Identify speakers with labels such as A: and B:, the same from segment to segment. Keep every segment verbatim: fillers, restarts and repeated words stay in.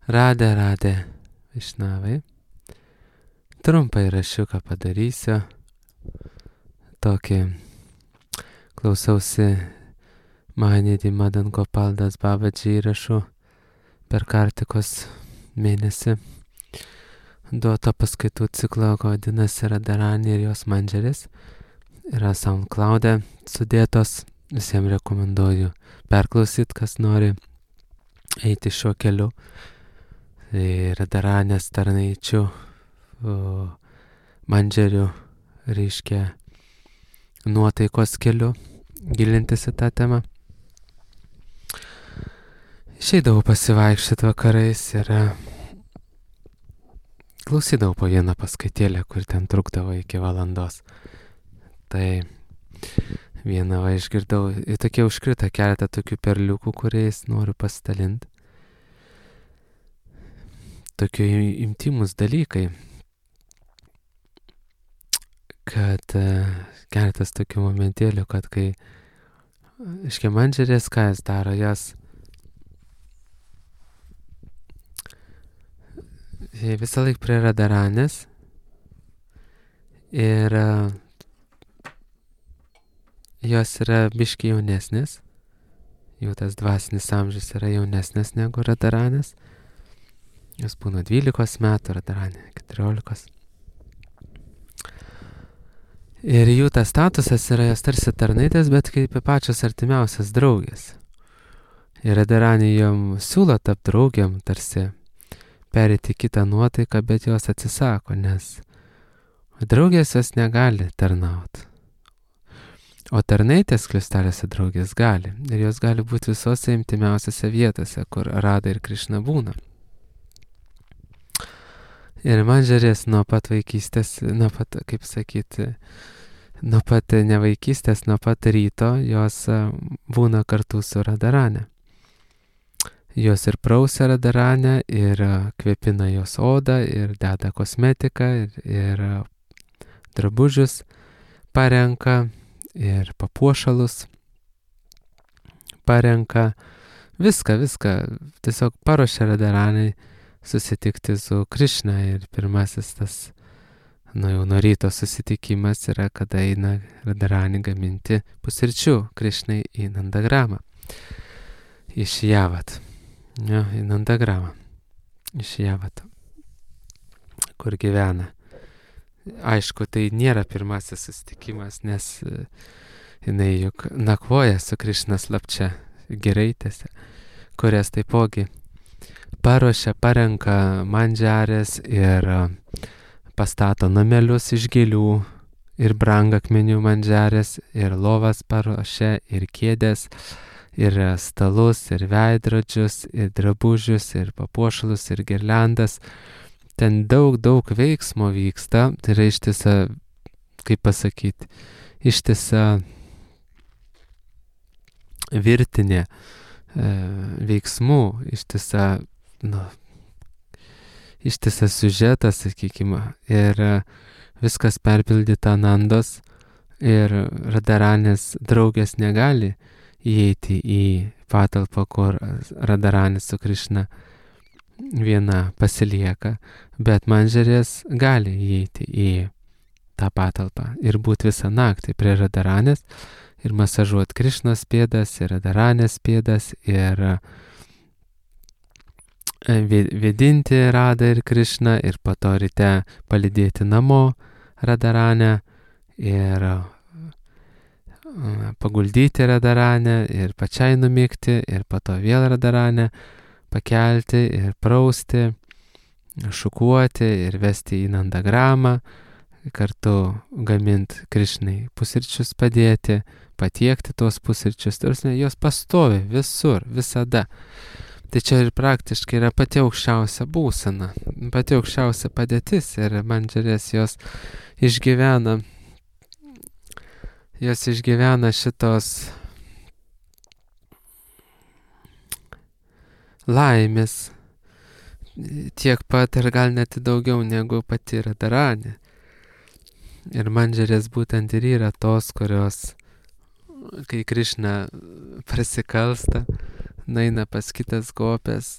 A: Radė, radė Višnavai. Trumpą įrašiuką padarysiu. Tokį klausausi Mahanidhi Madan Gopal Das Babaji įrašų per Kartikos mėnesį. Duoto paskaitų ciklo vadinasi Radharani ir jos mandžeris. Yra SoundCloud'e sudėtos. Visiems rekomenduoju perklausyt, kas nori eiti šiuo keliu. Radharanės tarnaičių mandžerių reiškia nuotaikos keliu, gilintis į tą temą. Išeidavau pasivaikščioti vakarais ir klausydavau po vieną paskaitėlę, kur ten trukdavo iki valandos. Tai vieną va išgirdau, ir tokie užkrito keletą tokių perliukų, kuriais noriu pasidalinti. Tokie intimus dalykai, kad keletas tokių momentėlių, kad kai iškia mandžerės, ką jis daro, jas visą laik prie Radharanės ir jos yra biški jaunesnės, jų tas dvasinis amžius yra jaunesnės negu Radharanės. Jos būna dvylikos metų, Radharanė keturiolikos. Ir jų tas statusas yra jos tarsi tarnaitės, bet kaip pačios artimiausias draugės. Ir Radharanė jom siūlo tapti draugiam, tarsi perėti kitą nuotaiką, bet jos atsisako, nes draugės jos negali tarnauti. O tarnaitės kristalėse draugės gali. Ir jos gali būti visose intimiausiose vietose, kur Radha ir Krišna būna. Ir mandžerės nuo pat vaikystės, nuo pat, kaip sakyti, nuo pat nevaikystės, nuo pat ryto, jos būna kartu su Radharane. Jos ir prausia Radharanę, ir kvepina jos odą, ir deda kosmetiką, ir, ir drabužius parenka, ir papuošalus parenka. Viską, viską tiesiog paruošia Radharanai susitikti su Krišna. Ir pirmasis tas, nu jau nuo ryto susitikimas yra, kada eina Radharanė gaminti pusryčių Krišnai į Nandagramą. Iš Javat. Jo, į Nandagramą. Iš Javat. Kur gyvena. Aišku, tai nėra pirmasis susitikimas, nes jinai juk nakvoja su Krišna slapčia giraitėse, kurias taipogi paruošia, parenka mandžarės ir pastato namelius iš gėlių ir brangakmenių mandžarės, ir lovas paruošia, ir kėdės, ir stalus, ir veidrodžius, ir drabužius, ir papuošalus, ir girliandas. Ten daug, daug veiksmo vyksta, tai yra ištisa, kaip pasakyti, ištisa virtinė e, veiksmų, ištisa, nu, ištisas siužetas, sakykime, ir viskas perpildyta Nandos, ir Radharanės draugės negali įeiti į patalpą, kur Radharanė su Krišna viena pasilieka, bet mandžerės gali įeiti į tą patalpą ir būti visą naktį prie Radharanės ir masažuoti Krišnos pėdas ir Radharanės pėdas ir vėdinti Radhą ir Krišną ir po to ryte palydėti namo Radharanę ir paguldyti Radharanę ir pačiai numigti ir po to vėl Radharanę pakelti ir prausti, šukuoti ir vesti į Nandagramą, kartu gaminti Krišnai pusryčius padėti, patiekti tuos pusryčius, tarsi jos pastovi visur, visada. Tai čia ir praktiškai yra pati aukščiausia būsena, pati aukščiausia padėtis ir mandžerės jos išgyvena, jos išgyvena šitos laimės tiek pat ir gal net daugiau negu pati Radharanė. Ir mandžerės būtent ir yra tos, kurios, kai Krišna prasikalsta, naina pas kitas gopės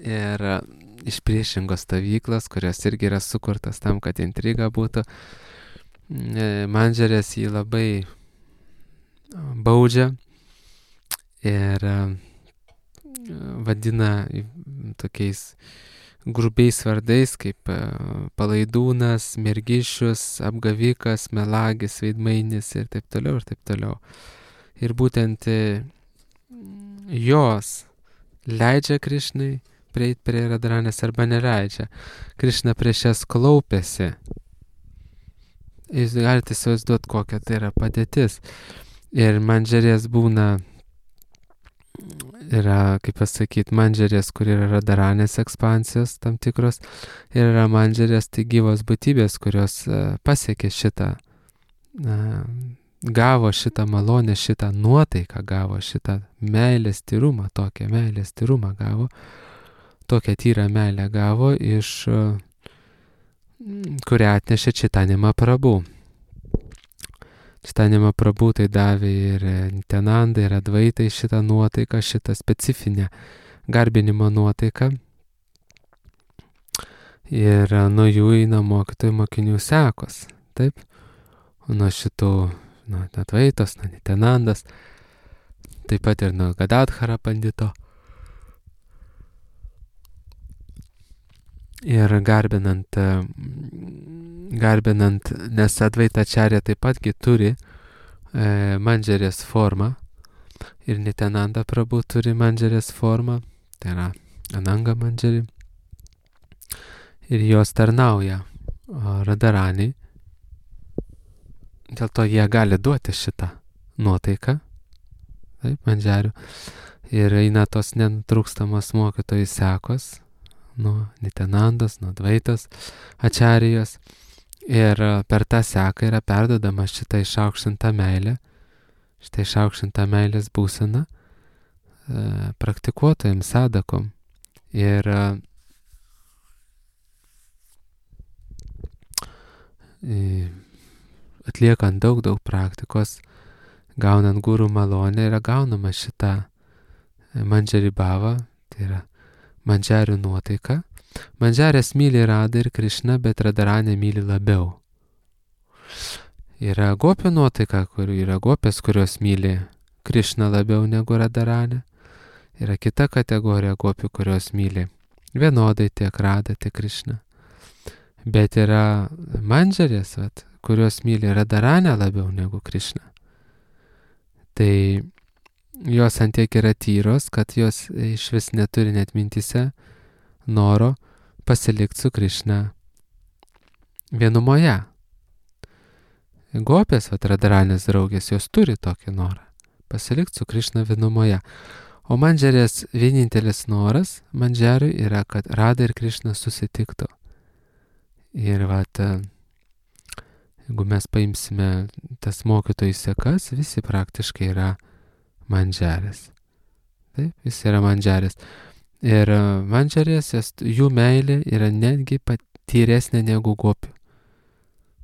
A: ir iš priešingos stovyklos, kurios irgi yra sukurtas tam, kad intriga būtų. Mandžerės jį labai baudžia ir vadina tokiais grubiais vardais kaip palaidūnas, mergišius, apgavikas, melagis, veidmainis ir taip toliau ir taip toliau. Ir būtent jos leidžia Krišnai prieiti prie Radharanės arba neleidžia. Krišna prieš jas klaupėsi. Jūs galite įsivaizduoti, kokia tai yra padėtis. Ir mandžerės būna, yra, kaip pasakyti, mandžerės, kur yra Radharanės ekspansijos tam tikros, ir yra mandžerės, tai gyvos būtybės, kurios pasiekė šitą, gavo šitą malonę, šitą nuotaiką gavo, šitą meilės tyrumą, tokią meilės tyrumą gavo, tokią tyrą meilę gavo, iš kurią atnešė Čaitanija Mahaprabhu. Čaitanija Mahaprabhu tai davė ir Nityanandai, ir Advaitai šitą nuotaiką, šitą specifinę garbinimo nuotaiką. Ir nuo jų eina mokytojų mokinių sekos. Taip? Nuo šitų, nuo Advaitos, nuo Nityanandas, taip pat ir nuo Gadadhara pandito. Ir garbinant, garbinant, nes Advaitačarya taip patgi turi e, mandžerės formą ir Nityananda Prabhu turi mandžerės formą, tai yra Ananga mandžerį, ir jos tarnauja Radharaniai, dėl to jie gali duoti šitą nuotaiką, taip, mandžerių, ir eina tos nenutrūkstamos mokytojų sekos, nuo Nityanandos, nuo Advaitos ačarijos, ir per tą seką yra perdodama šitą išaukštintą meilę, šitą išaukštintą meilės būseną e, praktikuotojams, sadakom. Ir e, atliekant daug, daug praktikos, gaunant gurų malonę, yra gaunama šitą mandžari bhava, tai yra mandžarių nuotaika. Mandžarės myli Radha ir Krišna, bet Radharanė myli labiau. Yra gopių nuotaika, kur yra gopės, kurios myli Krišna labiau negu Radharanė. Yra kita kategorija gopių, kurios myli vienodai tiek Radha, tiek Krišna. Bet yra mandžarės, vat, kurios myli Radharanę labiau negu Krišna. Tai jos antiek yra tyros, kad jos iš vis neturi net mintise noro pasilikti su Krišna vienumoje. Gopės, vat, Radharanės draugės, jos turi tokį norą pasilikti su Krišna vienumoje. O mandžerės vienintelis noras mandžeriui yra, kad Radha ir Krišna susitiktų. Ir vat, jeigu mes paimsime tas mokytojų sekas, visi praktiškai yra mandžerės. Taip, jis yra mandžerės. Ir mandžerės, jų meilė yra netgi patyresnė negu gopių.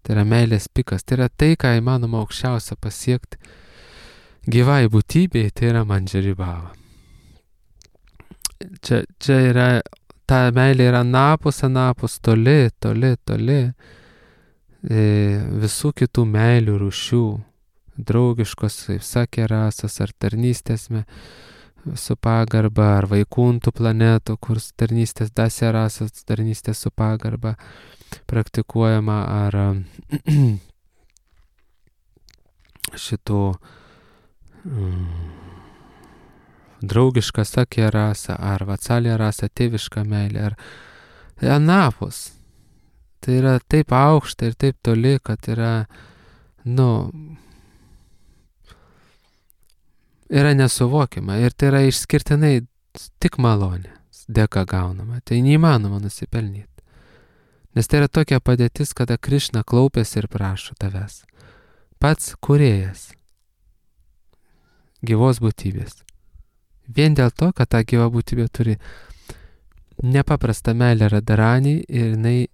A: Tai yra meilės pikas. Tai yra tai, ką įmanoma aukščiausia pasiekti gyvai būtybei, tai yra mandžari bhava. Čia, čia yra, ta meilė yra napus, anapus, toli, toli, toli e, visų kitų meilių rūšių. Draugiškos, kaip sakė, rasos ar tarnystės su pagarba, ar vaikuntų planetų, kur tarnystės dasė rasos, tarnystės su pagarba praktikuojama, ar šitų mm, draugiška sakė rasa, ar vatsalė rasa, tėviška meilė, ar anapus. Tai yra taip aukšta ir taip toli, kad yra, nu, yra nesuvokiama ir tai yra išskirtinai tik malonė, dėka gaunama. Tai neįmanoma nusipelnyti. Nes tai yra tokia padėtis, kada Krišna klaupiasi ir prašo tavęs. Pats kūrėjas gyvos būtybės. Vien dėl to, kad ta gyva būtybė turi nepaprastą meilę Radharaniai ir jinai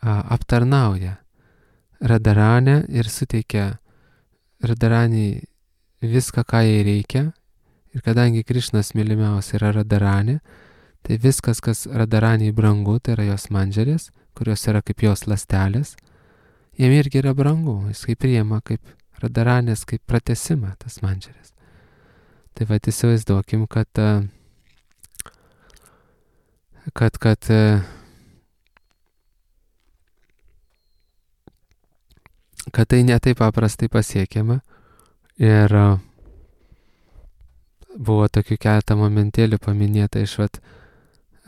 A: a, aptarnauja Radharanę ir suteikia Radharaniai viską, ką jai reikia, ir Ir kadangi Krišnos mylimiausia yra Radharani, tai viskas, kas Radharaniai brangu, tai yra jos mandžerės, kurios yra kaip jos ląstelės, jiem irgi yra brangu, jis kaip priima kaip Radharanės, kaip pratesimą tas mandžerės. Tai va, įsivaizduokim, kad, kad, kad, kad tai netaip paprastai pasiekiama ir buvo tokių keletą momentėlių paminėta iš vat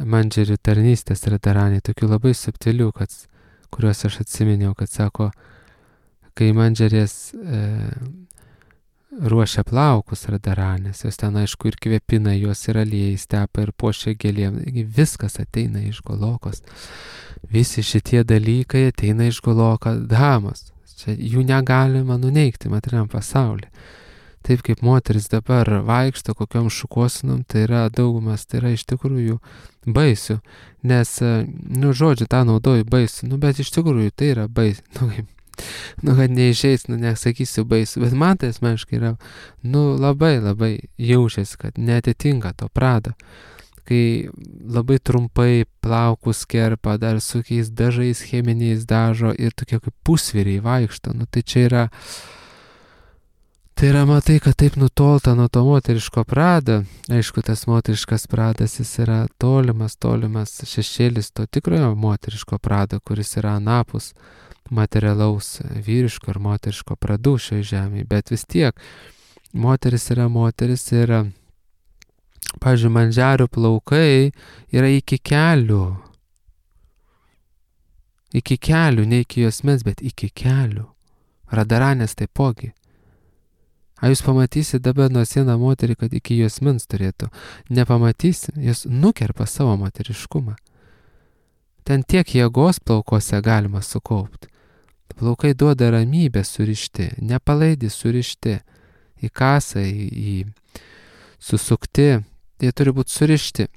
A: mandžerių tarnystės Radharaniai, tokių labai subtilių, kad, kuriuos aš atsiminiau, kad sako, kai mandžerės e, ruošia plaukus Radharanės, jos ten aišku ir kvepina, jos ir aliejais tepa ir puošia gėlėm, viskas ateina iš Golokos. Visi šitie dalykai ateina iš Goloko Dhamos. Čia jų negalima nuneigti materialiam pasaulyje. Taip kaip moteris dabar vaikšto kokiom šukuosinom, tai yra daugumas, tai yra iš tikrųjų baisių, nes, nu, žodžiu, tą naudoju baisių, nu, bet iš tikrųjų tai yra baisių, nu, kaip, nu, kad neišeis, nu, nesakysiu baisių, bet man tai asmeniškai yra, nu, labai, labai jaučiasi, kad netitinka to prado, kai labai trumpai plaukus kerpa, dar su kokiais dažais cheminiais dažo ir tokie kaip pusvyriai vaikšto, nu, tai čia yra, tai yra, matai, kad taip nutolta nuo to moteriško prado. Aišku, tas moteriškas pradas, jis yra tolimas, tolimas šešėlis to tikrojo moteriško prado, kuris yra anapus materialaus vyriško ir moteriško pradų šioje žemėje. Bet vis tiek, moteris yra moteris ir, pavyzdžiui, mandžerių plaukai yra iki kelių. Iki kelių, ne iki juosmens, bet iki kelių. Radharanės taipogi. A jūs pamatysit dabar nuo sieną moterį, kad iki juosmens turėtų. Nepamatysit, jūs nukerpa savo moteriškumą. Ten tiek jėgos plaukose galima sukaupti. Plaukai duoda ramybę surišti, nepalaidi surišti, į kasą, į, į susukti, jie turi būti surišti.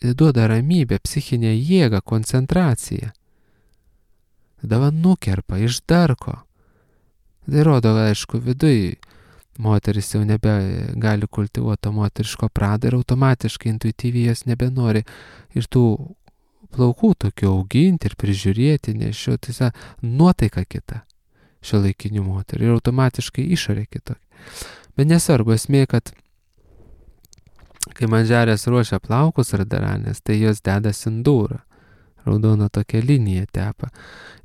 A: Jie duoda ramybę, psichinę jėgą, koncentraciją. Tada nukerpa, išdarko. Tai rodo, aišku, viduj moteris jau nebegali kultivuoti moteriško pradą ir automatiškai, intuityviai jos nebenori ir tų plaukų tokių auginti ir prižiūrėti, nešioti, tai nuotaika kita šiuolaikinių moterų ir automatiškai išorė kitokia. Bet nesvarbu, esmė, kad kai mandžerės ruošia plaukus Radharanės, tai jos deda sindūrą. Raudona tokia linija tepa.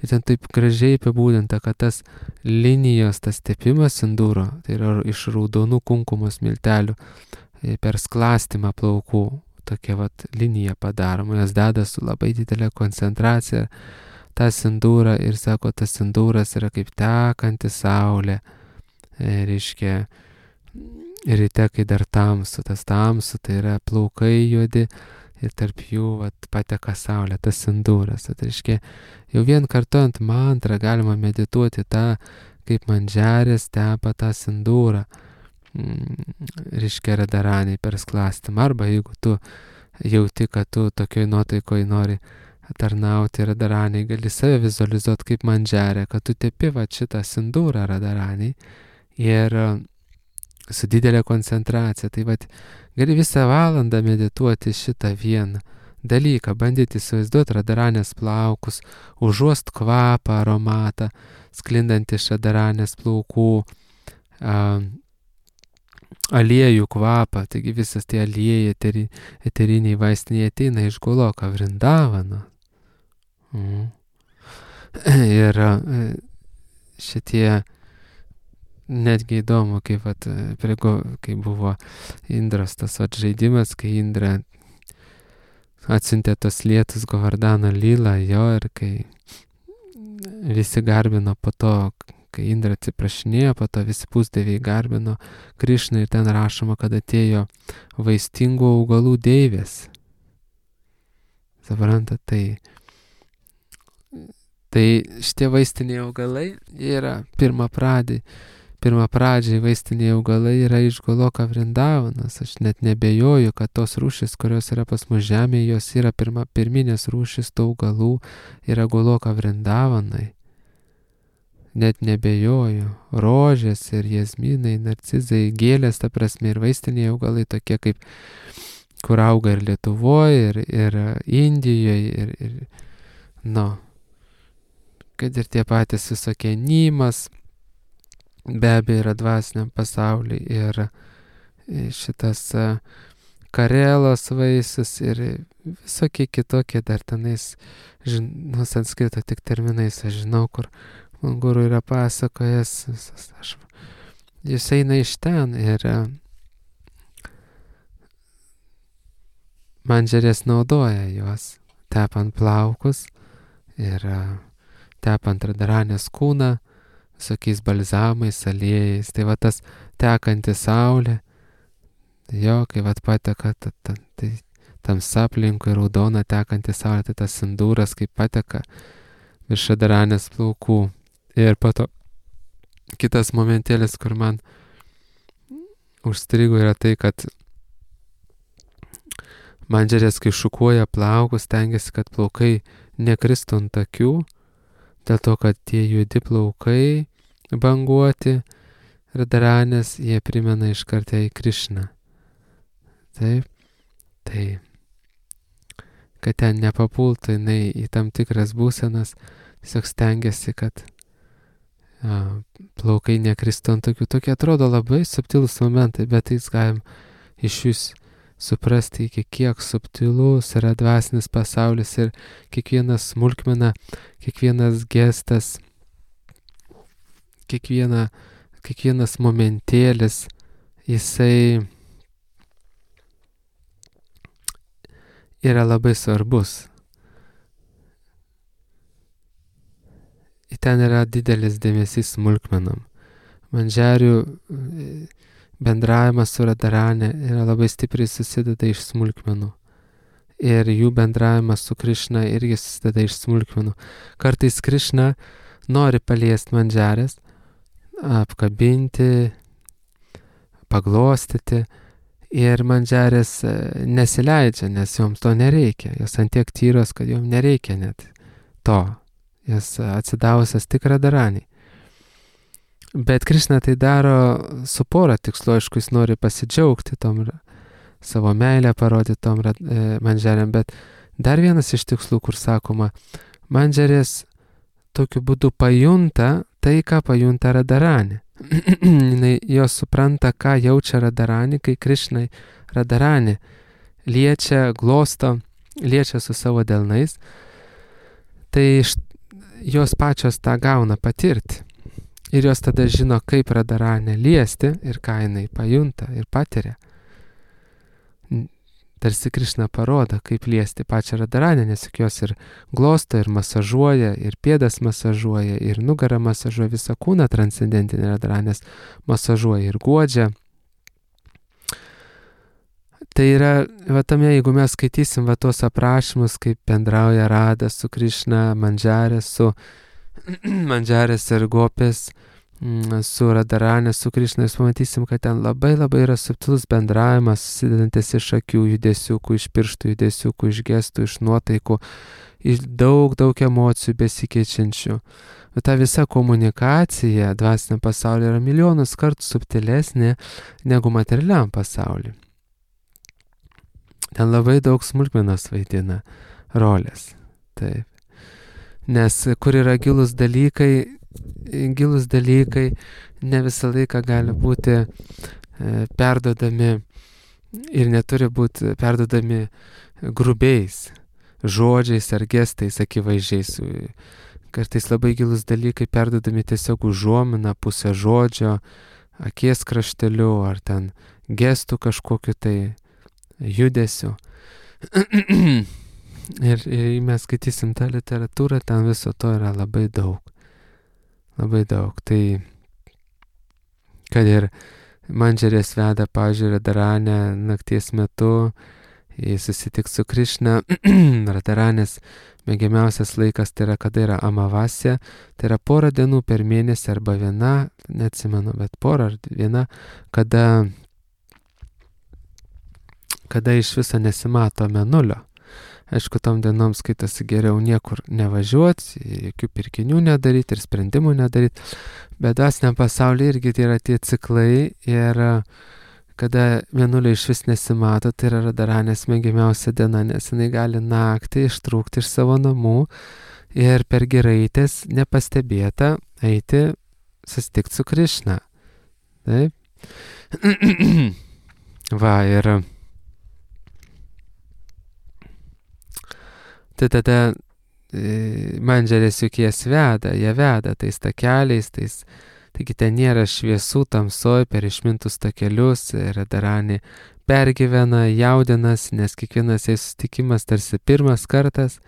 A: Ir ten taip gražiai apibūdinta, kad tas linijos, tas tepimas sindūro, tai yra iš raudonų kunkumos miltelių per sklastymą plaukų, tokia vat linija padaroma, jos deda su labai didelė koncentracija tą sindūrą ir sako, tas sindūras yra kaip tekanti saulė, e, reiškia, ryte, kai dar tamsu, tas tamsu, tai yra plaukai juodi, ir tarp jų vat, pateka saulė, tas sindūras. Tai reiškia, jau vien kartuojant mantrą galima medituoti tą, kaip mandžerės tepa tą sindūrą, reiškia Radharaniai per sklastymą. Arba jeigu tu jauti, kad tu tokioj nuotaikoj nori tarnauti Radharaniai, gali save vizualizuoti kaip mandžerę, kad tu tepi va šitą sindūrą Radharaniai ir su didelė koncentracija. Tai vat, gali visą valandą medituoti šitą vieną dalyką, bandyti įsivaizduoti Radharanės plaukus, užuost kvapą, aromatą, sklindantį iš Radharanės plaukų, a, aliejų kvapą, taigi visas tie aliejai, eteri, eteriniai vaistiniai ateina iš Goloko Vrindavano. Mm. Ir a, šitie netgi įdomu, kaip, vat, priego, kai buvo Indros tas vat, žaidimas, kai Indra atsiuntė tos lietus Govardhano lylą, jo, ir kai visi garbino po to, kai Indra atsiprašinėjo, po to visi pusdieviai garbino Krišną ir ten rašoma, kad atėjo vaistingų augalų deivės. Suprantat, tai tai šitie vaistiniai augalai yra pirmapradžiai. Pirmapradžiai vaistiniai augalai yra iš Goloko Vrindavanos. Aš net nebejoju, kad tos rūšis, kurios yra pas mus žemėje, jos yra pirma, pirminės rūšis tų augalų, yra Goloko Vrindavanai. net nebejoju, rožės ir jazminai, narcizai, gėlės, ta prasme, ir vaistiniai augalai tokie kaip, kur auga ir Lietuvoje, ir, ir Indijoje, ir, ir, nu, kad ir tie patys visokie nymas, be abejo yra dvasiniam pasauliui, ir šitas karelos vaisius, ir visokie kitokie dar tenais, nu, sanskrito tik terminais, aš žinau, kur man guru yra pasakojęs, aš, jis eina iš ten ir mandžerės naudoja juos, tepant plaukus ir tepant radaranės kūną, visokiais balzamais, aliejais. Tai va tas tekanti saulė, jo, kai va pateka, ta, ta, tai tamsa aplinkui raudona tekanti saulė, tai tas sindūras, kaip pateka virš radaranės plaukų. Ir po to kitas momentėlis, kur man užstrigo, yra tai, kad mandžerės, kai šukuoja plaukus, stengiasi, kad plaukai nekristų ant akių, dėl to, kad tie judi plaukai banguoti radaranės, jie primena iš karto į Krišną. Taip, tai, kad ten nepapultų jinai į tam tikras būsenas, tiesiog stengiasi, kad a, plaukai nekristų ant akių. Tokie atrodo labai subtilus momentai, bet jis galim iš jūs suprasti, iki kiek subtilus yra dvasinis pasaulis ir kiekvienas smulkmena, kiekvienas gestas, kiekviena, kiekvienas momentėlis, jisai yra labai svarbus. Ir ten yra didelis dėmesys smulkmenom. Mandžerių bendravimas su radaranė yra labai stipriai susideda iš smulkmenų. Ir jų bendravimas su Krišna irgi susideda iš smulkmenų. Kartais Krišna nori paliesti mandžerės, apkabinti, paglostyti, ir mandžerės nesileidžia, nes joms to nereikia. Jos antiek tyros, kad joms nereikia net to. Jos atsidavusios tik radaraniai. Bet Krišna tai daro su pora tikslu, aišku, jis nori pasidžiaugti tom, savo meilę parodyti tom mandžerėm, bet dar vienas iš tikslų, kur sakoma, mandžerės tokiu būdu pajunta tai, ką pajunta radaranė. Jos supranta, ką jaučia radaranė, kai Krišnai radaranė liečia, glosto, liečia su savo delnais, tai jos pačios tą gauna patirti. Ir jos tada žino, kaip radaranę liesti ir ką jinai pajunta ir patiria. Tarsi Krišna parodo, kaip liesti pačią radaranę, nes jos ir glosto, ir masažuoja, ir pėdas masažuoja, ir nugarą masažuoja, visą kūną transcendentinį radaranės masažuoja ir guodžia. Tai yra, va tame, jeigu mes skaitysim va tos aprašymus, kaip bendrauja Rada su Krišna, mandžerės su mandžerės ir gopės, su radaranė, su Krišna, jūs pamatysim, kad ten labai labai yra subtilus bendravimas, susidedantis iš akių judesiukų, iš pirštų judesiukų, iš gestų, iš nuotaikų, iš daug, daug emocijų besikeičiančių. Bet ta visa komunikacija dvasiniam pasaulyje yra milijonus kartų subtilesnė negu materialiam pasauliu. Ten labai daug smulkmenos vaidina rolės. Taip. Nes kur yra gilus dalykai, gilus dalykai ne visą laiką gali būti e, perdodami ir neturi būti perdodami grubiais žodžiais ar gestais akivaizdžiais. Kartais labai gilus dalykai perdodami tiesiog užuomina, pusę žodžio, akies krašteliu ar ten gestų kažkokiu tai judesiu. Ir, ir mes skaitysim tą literatūrą, ten viso to yra labai daug. Labai daug. Tai, kad ir mandžerės veda, pavyzdžiui, radaranę nakties metu, jis susitiks su Krišna, radaranės mėgiamiausias laikas tai yra, kada yra amavasė, tai yra porą dienų per mėnesį arba viena, neatsimenu, bet porą ar viena, kada, kada iš viso nesimato mėnulio. Aišku, tom dienom skaitasi geriau niekur nevažiuoti, jokių pirkinių nedaryti ir sprendimų nedaryti, bet dvasiniam pasaulyje irgi tai yra tie ciklai ir kada mėnulio iš vis nesimato, tai yra radaranės mėgiamiausia diena, nes jinai gali naktį ištrūkti iš savo namų ir per giraitės nepastebėta eiti susitikti su Krišna. Taip. Va, ir tai tada e, mandžerės juk jas veda, jie veda tais takeliais, tais, taigi ten nėra šviesų tamsoj per išmintus takelius, radaranė pergyvena, jaudinas, nes kiekvienas jai susitikimas tarsi pirmas kartas,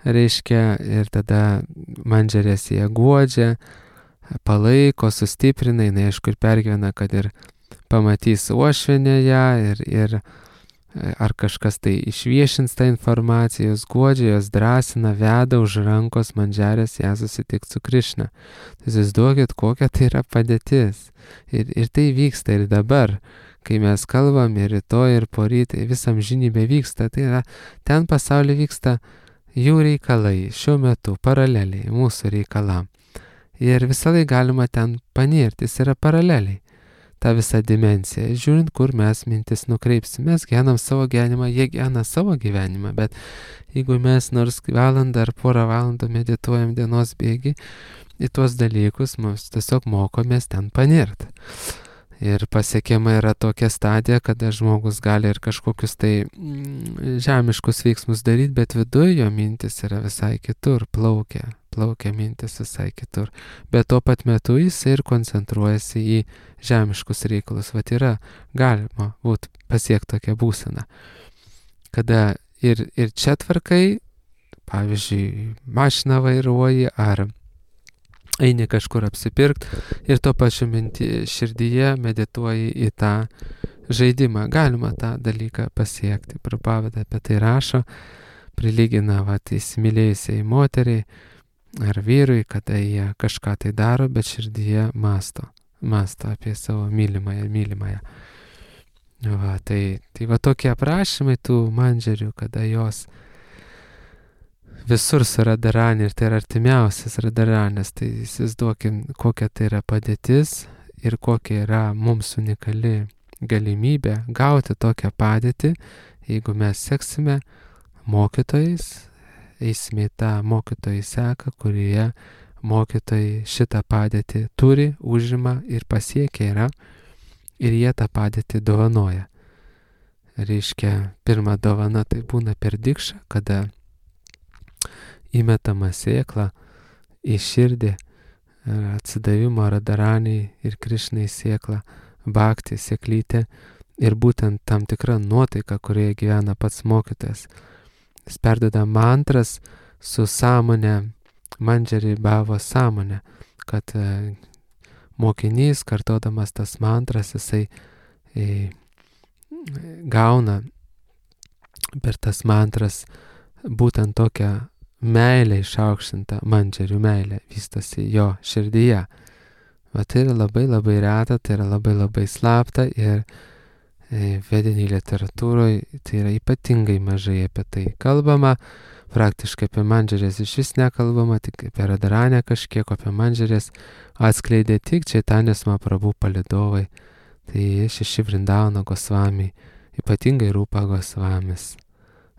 A: reiškia, ir tada mandžerės jie guodžia, palaiko, sustiprina, jinai aišku ir pergyvena, kad ir pamatys uošvienę ją ir, ir ar kažkas tai išviešins tą informaciją, jos guodžia, jos drąsina, veda už rankos mandžerės ją susitikti su Krišna. Tai įsivaizduokit, kokia tai yra padėtis. Ir, ir tai vyksta ir dabar, kai mes kalbam ir rytoj, ir poryt, visam žinybė vyksta, tai yra, ten pasaulyje vyksta jų reikalai, šiuo metu paraleliai mūsų reikalam. Ir visą laiką galima ten panirti, jis yra paraleliai. Ta visa dimensija, žiūrint, kur mes mintis nukreipsime. Mes gyvenam savo gyvenimą, jie gyvena savo gyvenimą, bet jeigu mes nors valandą ar porą valandų medituojam dienos bėgi į tuos dalykus, mes tiesiog mokomės ten panirti. Ir pasiekiama yra tokia stadija, kada žmogus gali ir kažkokius tai mm, žemiškus veiksmus daryti, bet viduje jo mintis yra visai kitur, plaukia, plaukia mintis visai kitur. Bet tuo pat metu jis ir koncentruojasi į žemiškus reikalus. Vat yra galima būt pasiekti tokią būseną, kada ir, ir čia tvarkai, pavyzdžiui, mašiną vairuoji ar eini kažkur apsipirkti ir tuo pačiu minti širdyje medituoji į tą žaidimą. Galima tą dalyką pasiekti. Prabhupada apie tai rašo, prilygina vat įsimylėjusiai moteriai ar vyrui, kada jie kažką tai daro, bet širdyje masto. Masto apie savo mylimąją, mylimąją. Va, tai, tai va tokie aprašymai tų mandžerių, kada jos visur su radaranė ir tai yra artimiausias radaranės, tai įsivaizduokim, kokia tai yra padėtis ir kokia yra mums unikali galimybė gauti tokią padėtį, jeigu mes seksime mokytojais, eisime į tą mokytojų seką, kurie mokytojai šitą padėtį turi, užima ir pasiekia yra ir jie tą padėtį dovanoja. Reiškia, pirma dovana tai būna per dikšą, kada įmetama sėkla į širdį, atsidavimo radaraniai ir Krišnai sėkla, bhakti, sėklytė ir būtent tam tikra nuotaika, kurioje gyvena pats mokytojas. Jis perdeda mantras su sąmonė, mandžeri bhavo sąmonė, kad mokinys, kartodamas tas mantras, jisai e, gauna per tas mantras būtent tokią meilė išaukštinta, mandžerių meilė vystosi jo širdyje. Va tai yra labai labai reta, tai yra labai labai slapta ir e, vediniai literatūroje tai yra ypatingai mažai apie tai kalbama, praktiškai apie mandžerės iš vis nekalbama, tik apie radaranę kažkiek, apie mandžerės atskleidė tik Čaitanės Mahaprabhu palidovai, tai šeši Vrindavano Gosvami, ypatingai Rūpa Gosvamis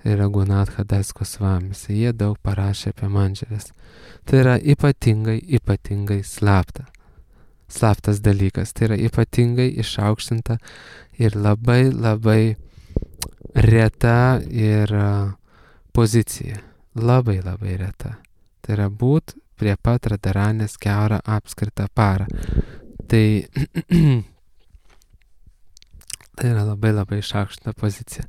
A: ir Raghunatha Das Gosvamis, jie daug parašė apie mandžerės. Tai yra ypatingai, ypatingai slapta. Slaptas dalykas, tai yra ypatingai išaukštinta ir labai, labai reta ir pozicija. Labai, labai reta. Tai yra būt prie pat radaranės keurą apskritą parą. Tai, tai yra labai, labai išaukštinta pozicija.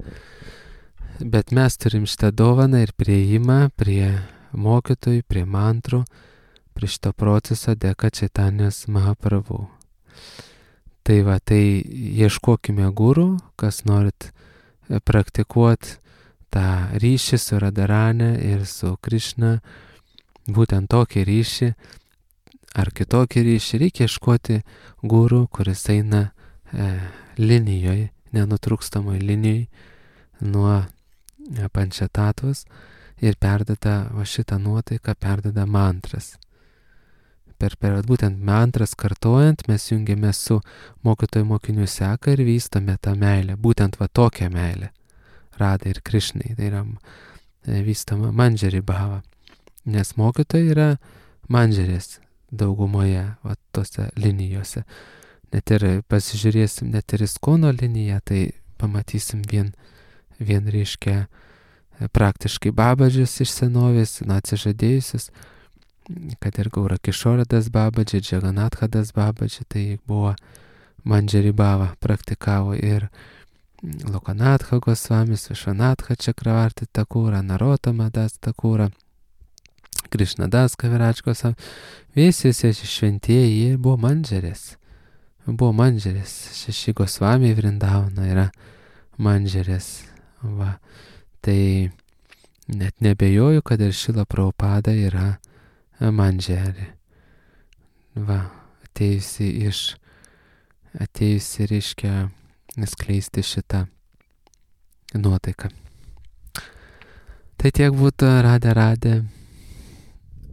A: Bet mes turim šitą dovaną ir prieimą prie mokytojų, prie mantrų, prie šito proceso dėka Čaitanės Mahaprabhu. Tai va, tai ieškokime gurų, kas norit praktikuoti tą ryšį su Radaranė ir su Krišna, būtent tokį ryšį ar kitokį ryšį, reikia ieškoti gurų, kuris eina e, linijoje, nenutrūkstamoj linijoj nuo pančetatvas ir perdeda va šitą nuotaiką, perdeda mantras. Per, per būtent mantras kartojant mes jungiame su mokytojų mokinių seka ir vystome tą meilę, būtent va tokią meilę, Radai ir Krišnai, tai yra vystoma manžeri bhava, nes mokytojai yra manžerės daugumoje va tose linijose. Net ir pasižiūrėsim, net ir Iskono liniją, tai pamatysim vien, vien reiškia praktiškai babadžius iš senovės, na, atsižadėjusius, kad ir Gaura Kišoradas babadži, Džaganathadas babadži, tai buvo manžeri bhava, praktikavo ir Lokanatha Gosvamis, Višvanatha Čakravarti Takūra, Narotama Das Takūra, Krišnadas Kavirač Gosvamis, visi šventieji jie buvo manžerės. Buvo manžerės. Šeši Gosvamiai Vrindavana yra manžerės. Va. Tai net nebejoju, kad ir Šila Prabhupada yra manžerė. Va, atėjusi iš, atėjusi reiškia skleisti šitą nuotaiką. Tai tiek būtų, Radė Radė.